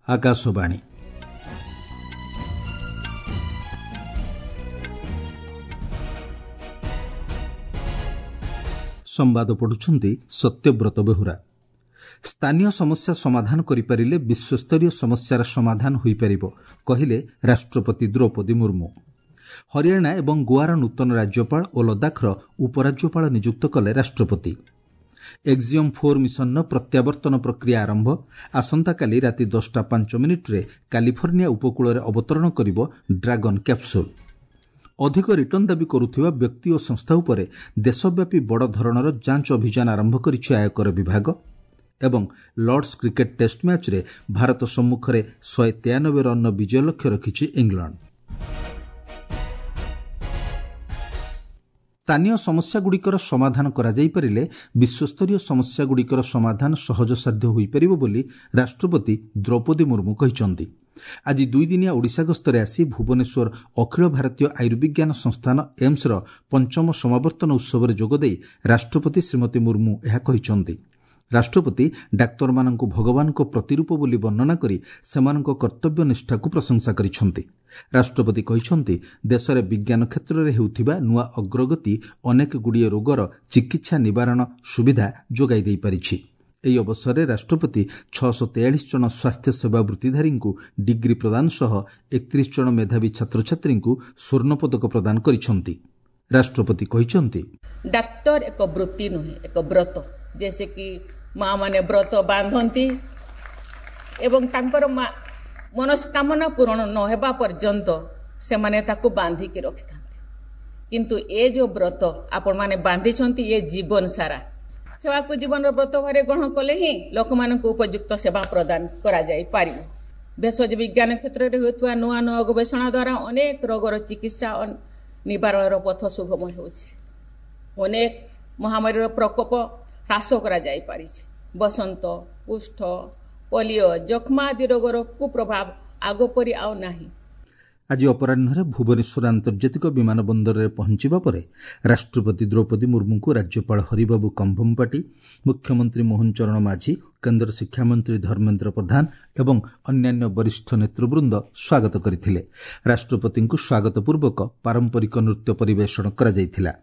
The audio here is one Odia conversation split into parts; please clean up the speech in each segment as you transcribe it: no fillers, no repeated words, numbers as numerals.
ଆକାଶବାଣୀ। ସମ୍ବାଦ ପଢୁଛନ୍ତି ସତ୍ୟବ୍ରତ ବେହୁରା। ସ୍ଥାନୀୟ ସମସ୍ୟା ସମାଧାନ କରିପାରିଲେ ବିଶ୍ୱସ୍ତରୀୟ ସମସ୍ୟାର ସମାଧାନ ହୋଇପାରିବ, କହିଲେ ରାଷ୍ଟ୍ରପତି ଦ୍ରୌପଦୀ ମୁର୍ମୁ। ହରିୟାଣା ଏବଂ ଗୋଆର ନୂତନ ରାଜ୍ୟପାଳ ଓ ଲଦାଖର ଉପରାଜ୍ୟପାଳ ନିଯୁକ୍ତ କଲେ ରାଷ୍ଟ୍ରପତି। ଏକ୍ଜିୟମ୍ 4 ମିଶନର ପ୍ରତ୍ୟାବର୍ତ୍ତନ ପ୍ରକ୍ରିୟା ଆରମ୍ଭ। ଆସନ୍ତାକାଲି ରାତି 10ଟା 5 ମିନିଟ୍ରେ କାଲିଫର୍ଣ୍ଣିଆ ଉପକୂଳରେ ଅବତରଣ କରିବ ଡ୍ରାଗନ୍ କ୍ୟାପ୍ସୁଲ୍। ଅଧିକ ରିଟର୍ଣ୍ଣ ଦାବି କରୁଥିବା ବ୍ୟକ୍ତି ଓ ସଂସ୍ଥା ଉପରେ ଦେଶବ୍ୟାପୀ ବଡ଼ ଧରଣର ଯାଞ୍ଚ ଅଭିଯାନ ଆରମ୍ଭ କରିଛି ଆୟକର ବିଭାଗ। ଏବଂ ଲର୍ଡସ୍ କ୍ରିକେଟ୍ ଟେଷ୍ଟ ମ୍ୟାଚ୍ରେ ଭାରତ ସମ୍ମୁଖରେ 193 ରନ୍ର ବିଜୟ ଲକ୍ଷ୍ୟ ରଖିଛି ଇଂଲଣ୍ଡ। ସ୍ଥାନୀୟ ସମସ୍ୟାଗୁଡ଼ିକର ସମାଧାନ କରାଯାଇପାରିଲେ ବିଶ୍ୱସ୍ତରୀୟ ସମସ୍ୟାଗୁଡ଼ିକର ସମାଧାନ ସହଜସାଧ୍ୟ ହୋଇପାରିବ ବୋଲି ରାଷ୍ଟ୍ରପତି ଦ୍ରୌପଦୀ ମୁର୍ମୁ କହିଛନ୍ତି। ଆଜି ଦୁଇଦିନିଆ ଓଡ଼ିଶା ଗସ୍ତରେ ଆସି ଭୁବନେଶ୍ୱର ଅଖିଳ ଭାରତୀୟ ଆୟୁର୍ବିଜ୍ଞାନ ସଂସ୍ଥାନ ଏମ୍ସର ପଞ୍ଚମ ସମାବର୍ତ୍ତନ ଉତ୍ସବରେ ଯୋଗଦେଇ ରାଷ୍ଟ୍ରପତି ଶ୍ରୀମତୀ ମୁର୍ମୁ ଏହା କହିଛନ୍ତି। ରାଷ୍ଟ୍ରପତି ଡାକ୍ତରମାନଙ୍କୁ ଭଗବାନଙ୍କ ପ୍ରତିରୂପ ବୋଲି ବର୍ଣ୍ଣନା କରି ସେମାନଙ୍କ କର୍ତ୍ତବ୍ୟ ନିଷ୍ଠାକୁ ପ୍ରଶଂସା କରିଛନ୍ତି। ରାଷ୍ଟ୍ରପତି କହିଛନ୍ତି, ଦେଶରେ ବିଜ୍ଞାନ କ୍ଷେତ୍ରରେ ହେଉଥିବା ନୂଆ ଅଗ୍ରଗତି ଅନେକଗୁଡ଼ିଏ ରୋଗର ଚିକିତ୍ସା ନିବାରଣ ସୁବିଧା ଯୋଗାଇ ଦେଇପାରିଛି। ଏହି ଅବସରରେ ରାଷ୍ଟ୍ରପତି 643 ଜଣ ସ୍ୱାସ୍ଥ୍ୟସେବା ବୃତ୍ତିଧାରୀଙ୍କୁ ଡିଗ୍ରୀ ପ୍ରଦାନ ସହ 31 ଜଣ ମେଧାବୀ ଛାତ୍ରଛାତ୍ରୀଙ୍କୁ ସ୍ୱର୍ଣ୍ଣପଦକ ପ୍ରଦାନ କରିଛନ୍ତି। ରାଷ୍ଟ୍ରପତି କହିଛନ୍ତି, ଡାକ୍ତର ଏକ ବୃତ୍ତି ନୁହେଁ, ଏକ ବ୍ରତ। जैसे କି ମା ମାନେ ବ୍ରତ ବାନ୍ଧନ୍ତି ଏବଂ ତାଙ୍କର ମା ମନସ୍କାମନା ପୂରଣ ନ ହେବା ପର୍ଯ୍ୟନ୍ତ ସେମାନେ ତାକୁ ବାନ୍ଧିକି ରଖିଥାନ୍ତି। କିନ୍ତୁ ଏ ଯେଉଁ ବ୍ରତ ଆପଣମାନେ ବାନ୍ଧିଛନ୍ତି, ଏ ଜୀବନ ସାରା ସେବାକୁ ଜୀବନର ବ୍ରତ ଭାବରେ ଗ୍ରହଣ କଲେ ହିଁ ଲୋକମାନଙ୍କୁ ଉପଯୁକ୍ତ ସେବା ପ୍ରଦାନ କରାଯାଇପାରିବ। ଭେଷଜ ବିଜ୍ଞାନ କ୍ଷେତ୍ରରେ ହେଉଥିବା ନୂଆ ନୂଆ ଗବେଷଣା ଦ୍ୱାରା ଅନେକ ରୋଗର ଚିକିତ୍ସା ନିବାରଣର ପଥ ସୁଗମ ହେଉଛି। ଅନେକ ମହାମାରୀର ପ୍ରକୋପ ହ୍ରାସ କରାଯାଇପାରିଛି। ବସନ୍ତ, କୁଷ୍ଠ, ପୋଲିଓ, ଯକ୍ଷ୍ମା ଆଦି ରୋଗର କୁପ୍ରଭାବ ଆଗ ପରି ଆଉ ନାହିଁ। ଆଜି ଅପରାହ୍ନରେ ଭୁବନେଶ୍ୱର ଆନ୍ତର୍ଜାତିକ ବିମାନ ବନ୍ଦରରେ ପହଞ୍ଚିବା ପରେ ରାଷ୍ଟ୍ରପତି ଦ୍ରୌପଦୀ ମୁର୍ମୁଙ୍କୁ ରାଜ୍ୟପାଳ ହରିବାବୁ କମ୍ଭମପାଟି, ମୁଖ୍ୟମନ୍ତ୍ରୀ ମୋହନ ଚରଣ ମାଝୀ, କେନ୍ଦ୍ର ଶିକ୍ଷାମନ୍ତ୍ରୀ ଧର୍ମେନ୍ଦ୍ର ପ୍ରଧାନ ଏବଂ ଅନ୍ୟାନ୍ୟ ବରିଷ୍ଠ ନେତୃବୃନ୍ଦ ସ୍ୱାଗତ କରିଥିଲେ। ରାଷ୍ଟ୍ରପତିଙ୍କୁ ସ୍ୱାଗତ ପୂର୍ବକ ପାରମ୍ପରିକ ନୃତ୍ୟ ପରିବେଷଣ କରାଯାଇଥିଲା।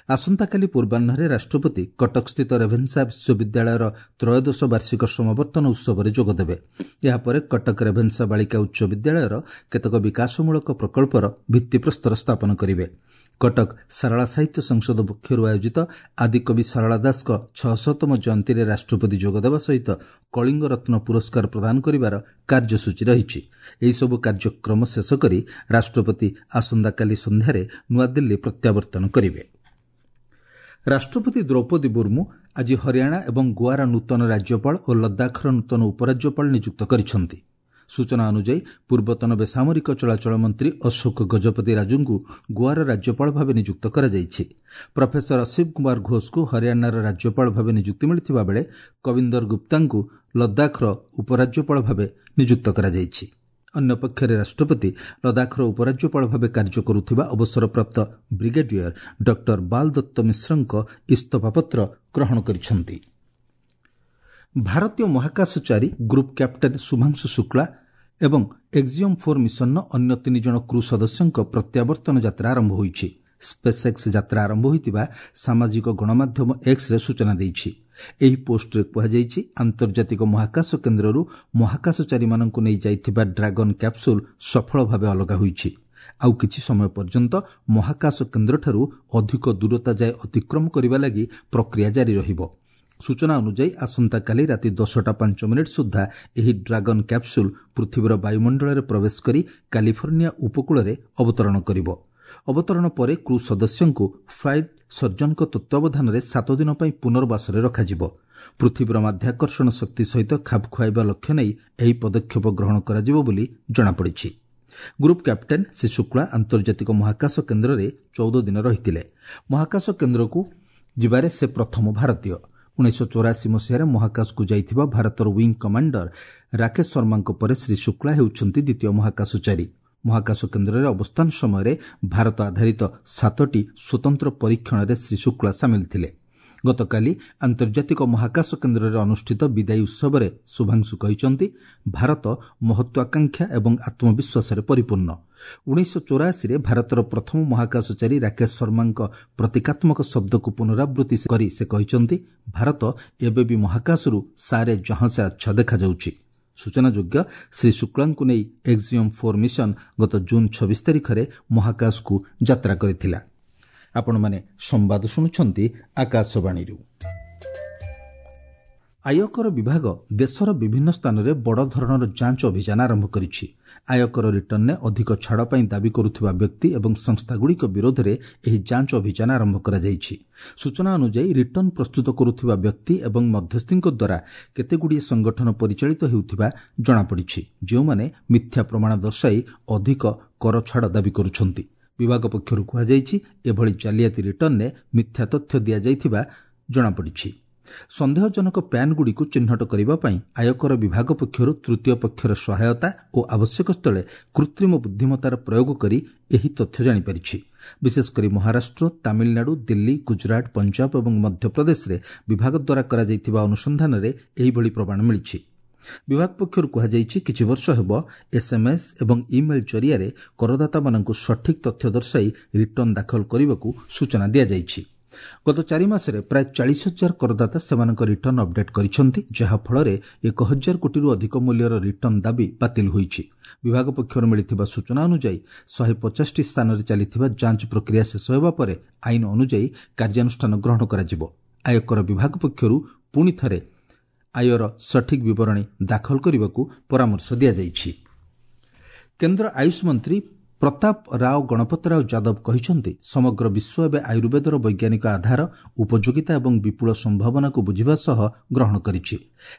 ଆସନ୍ତାକାଲି ପୂର୍ବାହ୍ନରେ ରାଷ୍ଟ୍ରପତି କଟକସ୍ଥିତ ରେଭେନ୍ସା ବିଶ୍ୱବିଦ୍ୟାଳୟର ତ୍ରୟୋଦଶ ବାର୍ଷିକ ସମାବର୍ତ୍ତନ ଉତ୍ସବରେ ଯୋଗଦେବେ। ଏହାପରେ କଟକ ରେଭେନ୍ସା ବାଳିକା ଉଚ୍ଚ ବିଦ୍ୟାଳୟର କେତେକ ବିକାଶମୂଳକ ପ୍ରକଳ୍ପର ଭିତ୍ତିପ୍ରସ୍ତର ସ୍ଥାପନ କରିବେ। କଟକ ସାରଳା ସାହିତ୍ୟ ସଂସଦ ପକ୍ଷରୁ ଆୟୋଜିତ ଆଦିକବି ସାରଳା ଦାସଙ୍କ 600ତମ ଜୟନ୍ତୀରେ ରାଷ୍ଟ୍ରପତି ଯୋଗଦେବା ସହିତ କଳିଙ୍ଗ ରତ୍ନ ପୁରସ୍କାର ପ୍ରଦାନ କରିବାର କାର୍ଯ୍ୟସୂଚୀ ରହିଛି। ଏହିସବୁ କାର୍ଯ୍ୟକ୍ରମ ଶେଷ କରି ରାଷ୍ଟ୍ରପତି ଆସନ୍ତାକାଲି ସନ୍ଧ୍ୟାରେ ନୂଆଦିଲ୍ଲୀ ପ୍ରତ୍ୟାବର୍ତ୍ତନ କରିବେ। ରାଷ୍ଟ୍ରପତି ଦ୍ରୌପଦୀ ମୁର୍ମୁ ଆଜି ହରିୟାଣା ଏବଂ ଗୋଆର ନୂତନ ରାଜ୍ୟପାଳ ଓ ଲଦାଖର ନୂତନ ଉପରାଜ୍ୟପାଳ ନିଯୁକ୍ତ କରିଛନ୍ତି। ସୂଚନା ଅନୁଯାୟୀ, ପୂର୍ବତନ ବେସାମରିକ ଚଳାଚଳ ମନ୍ତ୍ରୀ ଅଶୋକ ଗଜପତି ରାଜୁଙ୍କୁ ଗୋଆର ରାଜ୍ୟପାଳ ଭାବେ ନିଯୁକ୍ତ କରାଯାଇଛି। ପ୍ରଫେସର ଅସୀମ କୁମାର ଘୋଷଙ୍କୁ ହରିୟାଣାର ରାଜ୍ୟପାଳ ଭାବେ ନିଯୁକ୍ତି ମିଳିଥିବା ବେଳେ କବିନ୍ଦର ଗୁପ୍ତାଙ୍କୁ ଲଦାଖର ଉପରାଜ୍ୟପାଳ ଭାବେ ନିଯୁକ୍ତ କରାଯାଇଛି। ଅନ୍ୟପକ୍ଷରେ ରାଷ୍ଟ୍ରପତି ଲଦାଖର ଉପରାଜ୍ୟପାଳ ଭାବେ କାର୍ଯ୍ୟ କରୁଥିବା ଅବସରପ୍ରାପ୍ତ ବ୍ରିଗେଡିୟର ଡକ୍ଟର ବାଲଦତ୍ତ ମିଶ୍ରଙ୍କ ଇସ୍ତଫାପତ୍ର ଗ୍ରହଣ କରିଛନ୍ତି। ଭାରତୀୟ ମହାକାଶଚାରୀ ଗ୍ରୁପ୍ କ୍ୟାପ୍ଟେନ୍ ଶୁଭାଂଶୁ ଶୁକ୍ଳା ଏବଂ ଏକ୍ଜିୟମ୍ 4 ମିଶନର ଅନ୍ୟ ତିନି ଜଣ କ୍ରୁ ସଦସ୍ୟଙ୍କ ପ୍ରତ୍ୟାବର୍ତ୍ତନ ଯାତ୍ରା ଆରମ୍ଭ ହୋଇଛି। ସ୍ପେସ୍ଏକ୍ସ ଯାତ୍ରା ଆରମ୍ଭ ହୋଇଥିବା ସାମାଜିକ ଗଣମାଧ୍ୟମ ଏକ୍ସରେ ସୂଚନା ଦେଇଛି। ଏହି ପୋଷ୍ଟରେ କୁହାଯାଇଛି, ଆନ୍ତର୍ଜାତିକ ମହାକାଶ କେନ୍ଦ୍ରରୁ ମହାକାଶଚାରୀମାନଙ୍କୁ ନେଇ ଯାଇଥିବା ଡ୍ରାଗନ୍ କ୍ୟାପ୍ସୁଲ୍ ସଫଳ ଭାବେ ଅଲଗା ହୋଇଛି। ଆଉ କିଛି ସମୟ ପର୍ଯ୍ୟନ୍ତ ମହାକାଶ କେନ୍ଦ୍ରଠାରୁ ଅଧିକ ଦୂରତା ଯାଏ ଅତିକ୍ରମ କରିବା ଲାଗି ପ୍ରକ୍ରିୟା ଜାରି ରହିବ। ସୂଚନା ଅନୁଯାୟୀ, ଆସନ୍ତାକାଲି ରାତି 10ଟା 5 ମିନିଟ୍ ସୁଦ୍ଧା ଏହି ଡ୍ରାଗନ୍ କ୍ୟାପ୍ସୁଲ୍ ପୃଥିବୀର ବାୟୁମଣ୍ଡଳରେ ପ୍ରବେଶ କରି କାଲିଫର୍ଣ୍ଣିଆ ଉପକୂଳରେ ଅବତରଣ କରିବ। ଅବତରଣ ପରେ କ୍ରୁ ସଦସ୍ୟଙ୍କୁ ଫ୍ଲାଇଟ୍ ସର୍ଜନଙ୍କ ତତ୍ତ୍ୱାବଧାନରେ 7 ଦିନ ପାଇଁ ପୁନର୍ବାସରେ ରଖାଯିବ। ପୃଥିବୀର ମାଧ୍ୟାକର୍ଷଣ ଶକ୍ତି ସହିତ ଖାପ ଖୁଆଇବା ଲକ୍ଷ୍ୟ ନେଇ ଏହି ପଦକ୍ଷେପ ଗ୍ରହଣ କରାଯିବ ବୋଲି ଜଣାପଡ଼ିଛି। ଗ୍ରୁପ୍ କ୍ୟାପ୍ଟେନ୍ ଶ୍ରୀ ଶୁକ୍ଳା ଆନ୍ତର୍ଜାତିକ ମହାକାଶ କେନ୍ଦ୍ରରେ 14 ଦିନ ରହିଥିଲେ। ମହାକାଶ କେନ୍ଦ୍ରକୁ ଯିବାରେ ସେ ପ୍ରଥମ ଭାରତୀୟ। 1984 ମସିହାରେ ମହାକାଶକୁ ଯାଇଥିବା ଭାରତର ୱିଙ୍ଗ କମାଣ୍ଡର ରାକେଶ ଶର୍ମାଙ୍କ ପରେ ଶ୍ରୀ ଶୁକ୍ଳା ହେଉଛନ୍ତି ଦ୍ୱିତୀୟ ମହାକାଶଚାରୀ। ମହାକାଶ କେନ୍ଦ୍ରରେ ଅବସ୍ଥାନ ସମୟରେ ଭାରତ ଆଧାରିତ ସାତଟି ସ୍ୱତନ୍ତ୍ର ପରୀକ୍ଷଣରେ ଶ୍ରୀ ଶୁକ୍ଳା ସାମିଲ ଥିଲେ। ଗତକାଲି ଆନ୍ତର୍ଜାତିକ ମହାକାଶ କେନ୍ଦ୍ରରେ ଅନୁଷ୍ଠିତ ବିଦାୟୀ ଉତ୍ସବରେ ଶୁଭାଂଶୁ କହିଛନ୍ତି, ଭାରତ ମହତ୍ୱାକାଂକ୍ଷା ଏବଂ ଆତ୍ମବିଶ୍ୱାସରେ ପରିପୂର୍ଣ୍ଣ। 1984ରେ ଭାରତର ପ୍ରଥମ ମହାକାଶଚାରୀ ରାକେଶ ଶର୍ମାଙ୍କ ପ୍ରତୀକାତ୍ମକ ଶବ୍ଦକୁ ପୁନରାବୃତ୍ତି କରି ସେ କହିଛନ୍ତି, ଭାରତ ଏବେ ବି ମହାକାଶରୁ ସାରେ ଜହାଁ ସେ ଆଚ୍ଛା ଦେଖାଯାଉଛି। ସୂଚନାଯୋଗ୍ୟ, ଶ୍ରୀ ଶୁକ୍ଳାଙ୍କୁ ନେଇ ଏକ୍ସିୟମ୍ 4 ମିଶନ ଗତ ଜୁନ୍ 26 ତାରିଖରେ ମହାକାଶକୁ ଯାତ୍ରା କରିଥିଲା। ଆପଣମାନେ ସମ୍ବାଦ ଶୁଣୁଛନ୍ତି ଆକାଶବାଣୀରୁ। ଆୟକର ବିଭାଗ ଦେଶର ବିଭିନ୍ନ ସ୍ଥାନରେ ବଡ଼ ଧରଣର ଯାଞ୍ଚ ଅଭିଯାନ ଆରମ୍ଭ କରିଛି। ଆୟକର ରିଟର୍ଣ୍ଣରେ ଅଧିକ ଛାଡ଼ ପାଇଁ ଦାବି କରୁଥିବା ବ୍ୟକ୍ତି ଏବଂ ସଂସ୍ଥାଗୁଡ଼ିକ ବିରୋଧରେ ଏହି ଯାଞ୍ଚ ଅଭିଯାନ ଆରମ୍ଭ କରାଯାଇଛି। ସୂଚନା ଅନୁଯାୟୀ, ରିଟର୍ଣ୍ଣ ପ୍ରସ୍ତୁତ କରୁଥିବା ବ୍ୟକ୍ତି ଏବଂ ମଧ୍ୟସ୍ଥିଙ୍କ ଦ୍ୱାରା କେତେଗୁଡ଼ିଏ ସଂଗଠନ ପରିଚାଳିତ ହେଉଥିବା ଜଣାପଡ଼ିଛି, ଯେଉଁମାନେ ମିଥ୍ୟା ପ୍ରମାଣ ଦର୍ଶାଇ ଅଧିକ କର ଛାଡ଼ ଦାବି କରୁଛନ୍ତି। ବିଭାଗ ପକ୍ଷରୁ କୁହାଯାଇଛି, ଏଭଳି ଜାଲିଆତି ରିଟର୍ଣ୍ଣରେ ମିଥ୍ୟା ତଥ୍ୟ ଦିଆଯାଇଥିବା ଜଣାପଡ଼ିଛି। ସନ୍ଦେହଜନକ ପ୍ୟାନ୍ଗୁଡ଼ିକୁ ଚିହ୍ନଟ କରିବା ପାଇଁ ଆୟକର ବିଭାଗ ପକ୍ଷରୁ ତୃତୀୟ ପକ୍ଷର ସହାୟତା ଓ ଆବଶ୍ୟକ ସ୍ଥଳେ କୃତ୍ରିମ ବୁଦ୍ଧିମତାର ପ୍ରୟୋଗ କରି ଏହି ତଥ୍ୟ ଜାଣିପାରିଛି। ବିଶେଷକରି ମହାରାଷ୍ଟ୍ର, ତାମିଲନାଡୁ, ଦିଲ୍ଲୀ, ଗୁଜରାଟ, ପଞ୍ଜାବ ଏବଂ ମଧ୍ୟପ୍ରଦେଶରେ ବିଭାଗ ଦ୍ୱାରା କରାଯାଇଥିବା ଅନୁସନ୍ଧାନରେ ଏହିଭଳି ପ୍ରମାଣ ମିଳିଛି। ବିଭାଗ ପକ୍ଷରୁ କୁହାଯାଇଛି, କିଛି ବର୍ଷ ହେବ ଏସ୍ଏମ୍ଏସ୍ ଏବଂ ଇମେଲ୍ ଜରିଆରେ କରଦାତାମାନଙ୍କୁ ସଠିକ୍ ତଥ୍ୟ ଦର୍ଶାଇ ରିଟର୍ଣ୍ଣ ଦାଖଲ କରିବାକୁ ସୂଚନା ଦିଆଯାଇଛି। ଗତ 4 ମାସରେ ପ୍ରାୟ 40,000 କରଦାତା ସେମାନଙ୍କ ରିଟର୍ଣ୍ଣ ଅପଡେଟ୍ କରିଛନ୍ତି, ଯାହାଫଳରେ 1,000 କୋଟିରୁ ଅଧିକ ମୂଲ୍ୟର ରିଟର୍ଣ୍ଣ ଦାବି ବାତିଲ ହୋଇଛି। ବିଭାଗ ପକ୍ଷରୁ ମିଳିଥିବା ସୂଚନା ଅନୁଯାୟୀ, 150ଟି ସ୍ଥାନରେ ଚାଲିଥିବା ଯାଞ୍ଚ ପ୍ରକ୍ରିୟା ଶେଷ ହେବା ପରେ ଆଇନ ଅନୁଯାୟୀ କାର୍ଯ୍ୟାନୁଷ୍ଠାନ ଗ୍ରହଣ କରାଯିବ। ଆୟକର ବିଭାଗ ପକ୍ଷରୁ ପୁଣି ଥରେ ଆୟର ସଠିକ୍ ବିବରଣୀ ଦାଖଲ କରିବାକୁ ପରାମର୍ଶ ଦିଆଯାଇଛି। କେନ୍ଦ୍ର ଆୟୁଷ ମନ୍ତ୍ରୀ ପ୍ରତାପ ରାଓ ଗଣପତରାଓ ଯାଦବ କହିଛନ୍ତି, ସମଗ୍ର ବିଶ୍ୱ ଏବେ ଆୟୁର୍ବେଦର ବୈଜ୍ଞାନିକ ଆଧାର, ଉପଯୋଗିତା ଏବଂ ବିପୁଳ ସମ୍ଭାବନାକୁ ବୁଝିବା ସହ ଗ୍ରହଣ କରିଛି।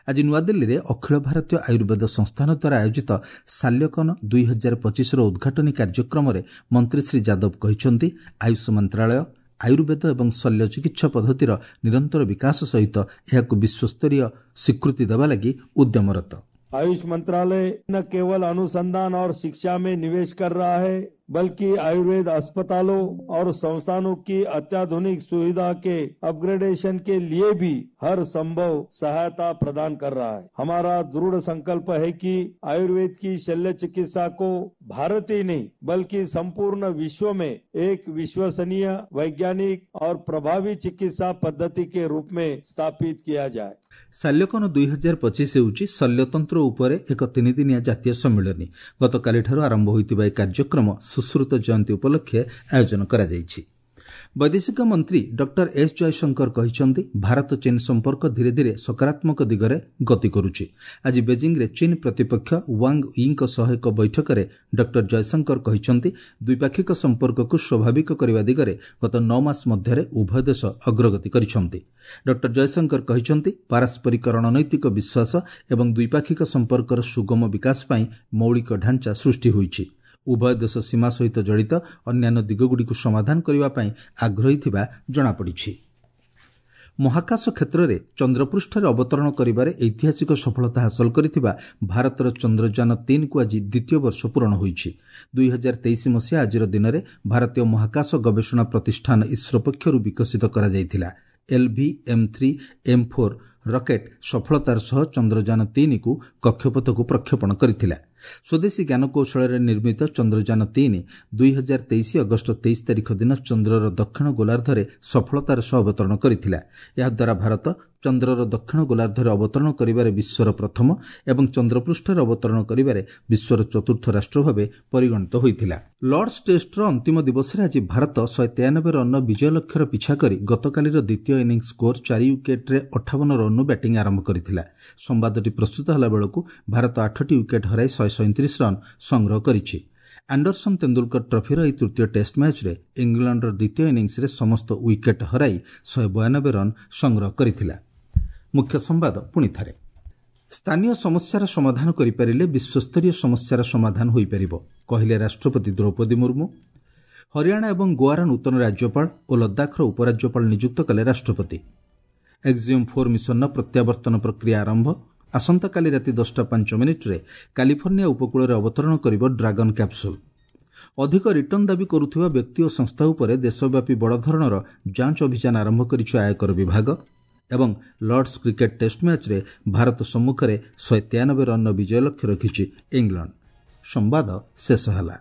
ଆଜି ନୂଆଦିଲ୍ଲୀରେ ଅଖିଳ ଭାରତୀୟ ଆୟୁର୍ବେଦ ସଂସ୍ଥାନ ଦ୍ୱାରା ଆୟୋଜିତ ସାଲ୍ୟକନ 2025ର ଉଦ୍ଘାଟନୀ କାର୍ଯ୍ୟକ୍ରମରେ ମନ୍ତ୍ରୀ ଶ୍ରୀ ଯାଦବ କହିଛନ୍ତି, ଆୟୁଷ ମନ୍ତ୍ରାଳୟ ଆୟୁର୍ବେଦ ଏବଂ ଶଲ୍ୟ ଚିକିତ୍ସା ପଦ୍ଧତିର ନିରନ୍ତର ବିକାଶ ସହିତ ଏହାକୁ ବିଶ୍ୱସ୍ତରୀୟ ସ୍ୱୀକୃତି ଦେବା ଲାଗି ଉଦ୍ୟମରତ। आयुष मंत्रालय न केवल अनुसंधान और शिक्षा में निवेश कर रहा है, बल्कि आयुर्वेद अस्पतालों और संस्थानों की अत्याधुनिक सुविधा के अपग्रेडेशन के लिए भी हर संभव सहायता प्रदान कर रहा है। हमारा दृढ़ संकल्प है कि आयुर्वेद की शल्य चिकित्सा को भारत ही नहीं बल्कि संपूर्ण विश्व में एक विश्वसनीय, वैज्ञानिक और प्रभावी चिकित्सा पद्धति के रूप में स्थापित किया जाए। ସାଲ୍ୟକନ 2025 ହେଉଛି ଶଲ୍ୟତନ୍ତ୍ର ଉପରେ ଏକ ତିନିଦିନିଆ ଜାତୀୟ ସମ୍ମିଳନୀ। ଗତକାଲିଠାରୁ ଆରମ୍ଭ ହୋଇଥିବା ଏହି କାର୍ଯ୍ୟକ୍ରମ ସୁଶ୍ରୁତ ଜୟନ୍ତୀ ଉପଲକ୍ଷେ ଆୟୋଜନ କରାଯାଇଛି। ବୈଦେଶିକ ମନ୍ତ୍ରୀ ଡକ୍ଟର ଏସ୍ ଜୟଶଙ୍କର କହିଛନ୍ତି, ଭାରତ ଚୀନ ସମ୍ପର୍କ ଧୀରେ ଧୀରେ ସକାରାତ୍ମକ ଦିଗରେ ଗତି କରୁଛି। ଆଜି ବେଜିଂରେ ଚୀନ ପ୍ରତିପକ୍ଷ ୱାଙ୍ଗ ୟିଙ୍କ ସହ ଏକ ବୈଠକରେ ଡକ୍ଟର ଜୟଶଙ୍କର କହିଛନ୍ତି, ଦ୍ୱିପାକ୍ଷିକ ସମ୍ପର୍କକୁ ସ୍ୱାଭାବିକ କରିବା ଦିଗରେ ଗତ 9 ମାସ ମଧ୍ୟରେ ଉଭୟ ଦେଶ ଅଗ୍ରଗତି କରିଛନ୍ତି। ଡକ୍ଟର ଜୟଶଙ୍କର କହିଛନ୍ତି, ପାରସ୍ପରିକ ରଣନୈତିକ ବିଶ୍ୱାସ ଏବଂ ଦ୍ୱିପାକ୍ଷିକ ସମ୍ପର୍କର ସୁଗମ ବିକାଶ ପାଇଁ ମୌଳିକ ଢାଞ୍ଚା ସୃଷ୍ଟି ହୋଇଛି। ଉଭୟ ଦେଶ ସୀମା ସହିତ ଜଡ଼ିତ ଅନ୍ୟାନ୍ୟ ଦିଗଗୁଡ଼ିକୁ ସମାଧାନ କରିବା ପାଇଁ ଆଗ୍ରହୀ ଥିବା ଜଣାପଡ଼ିଛି। ମହାକାଶ କ୍ଷେତ୍ରରେ ଚନ୍ଦ୍ରପୃଷ୍ଠରେ ଅବତରଣ କରିବାରେ ଐତିହାସିକ ସଫଳତା ହାସଲ କରିଥିବା ଭାରତର ଚନ୍ଦ୍ରଯାନ 3କୁ ଆଜି ଦ୍ୱିତୀୟ ବର୍ଷ ପୂରଣ ହୋଇଛି। 2023 ମସିହା ଆଜିର ଦିନରେ ଭାରତୀୟ ମହାକାଶ ଗବେଷଣା ପ୍ରତିଷ୍ଠାନ ଇସ୍ରୋ ପକ୍ଷରୁ ବିକଶିତ କରାଯାଇଥିଲା LVM3 M4 rocket ସଫଳତାର ସହ ଚନ୍ଦ୍ରଯାନ 3କୁ କକ୍ଷପଥକୁ ପ୍ରକ୍ଷେପଣ କରିଥିଲା। ସ୍ୱଦେଶୀ ଜ୍ଞାନକୌଶଳରେ ନିର୍ମିତ ଚନ୍ଦ୍ରଯାନ 3 2023 ଅଗଷ୍ଟ 23 ତାରିଖ ଦିନ ଚନ୍ଦ୍ରର ଦକ୍ଷିଣ ଗୋଲାର୍ଦ୍ଧରେ ସଫଳତାର ସହ ଅବତରଣ କରିଥିଲା। ଏହାଦ୍ୱାରା ଭାରତ ଚନ୍ଦ୍ରର ଦକ୍ଷିଣ ଗୋଲାର୍ଦ୍ଧରେ ଅବତରଣ କରିବାରେ ବିଶ୍ୱର ପ୍ରଥମ ଏବଂ ଚନ୍ଦ୍ରପୃଷ୍ଠରେ ଅବତରଣ କରିବାରେ ବିଶ୍ୱର ଚତୁର୍ଥ ରାଷ୍ଟ୍ର ଭାବେ ପରିଗଣିତ ହୋଇଥିଲା। ଲର୍ଡସ୍ ଟେଷ୍ଟର ଅନ୍ତିମ ଦିବସରେ ଆଜି ଭାରତ 193 ରନ୍ର ବିଜୟ ଲକ୍ଷ୍ୟର ପିଛା କରି ଗତକାଲିର ଦ୍ୱିତୀୟ ଇନିଂସ ସ୍କୋର 4 ୱିକେଟ୍ରେ 58 ରନ୍ରୁ ବ୍ୟାଟିଂ ଆରମ୍ଭ କରିଥିଲା। ସମ୍ବାଦଟି ପ୍ରସ୍ତୁତ ହେଲା ବେଳକୁ ଭାରତ 8ଟି ୱିକେଟ୍ ହରାଇ 137 ରନ୍ ସଂଗ୍ରହ କରିଛି। ଆଣ୍ଡରସନ୍ ତେନ୍ଦୁଲକର ଟ୍ରଫିର ଏହି ତୃତୀୟ ଟେଷ୍ଟ ମ୍ୟାଚ୍ରେ ଇଂଲଣ୍ଡର ଦ୍ୱିତୀୟ ଇନିଂସରେ ସମସ୍ତ ୱିକେଟ୍ ହରାଇ 192 ରନ୍ ସଂଗ୍ରହ କରିଥିଲା। ମୁଖ୍ୟ ସମ୍ବାଦ ପୁଣି ଥରେ, ସ୍ଥାନୀୟ ସମସ୍ୟାର ସମାଧାନ କରିପାରିଲେ ବିଶ୍ୱସ୍ତରୀୟ ସମସ୍ୟାର ସମାଧାନ ହୋଇପାରିବ, କହିଲେ ରାଷ୍ଟ୍ରପତି ଦ୍ରୌପଦୀ ମୁର୍ମୁ। ହରିୟାଣା ଏବଂ ଗୋଆର ନୂତନ ରାଜ୍ୟପାଳ ଓ ଲଦାଖର ଉପରାଜ୍ୟପାଳ ନିଯୁକ୍ତ କଲେ ରାଷ୍ଟ୍ରପତି। ଏକ୍ସିୟମ୍ 4 ମିଶନର ପ୍ରତ୍ୟାବର୍ତ୍ତନ ପ୍ରକ୍ରିୟା ଆରମ୍ଭ। ଆସନ୍ତାକାଲି ରାତି 10:05 କାଲିଫର୍ଣ୍ଣିଆ ଉପକୂଳରେ ଅବତରଣ କରିବ ଡ୍ରାଗନ୍ କ୍ୟାପସୁଲ୍। ଅଧିକ ରିଟର୍ଣ୍ଣ ଦାବି କରୁଥିବା ବ୍ୟକ୍ତି ଓ ସଂସ୍ଥା ଉପରେ ଦେଶବ୍ୟାପୀ ବଡ଼ ଧରଣର ଯାଞ୍ଚ ଅଭିଯାନ ଆରମ୍ଭ କରିଛି ଆୟକର ବିଭାଗ। ଏବଂ ଲର୍ଡସ୍ କ୍ରିକେଟ୍ ଟେଷ୍ଟ ମ୍ୟାଚ୍ରେ ଭାରତ ସମ୍ମୁଖରେ 193 ରନ୍ର ବିଜୟ ଲକ୍ଷ୍ୟ ରଖିଛି ଇଂଲଣ୍ଡ। ସମ୍ବାଦ ଶେଷ ହେଲା।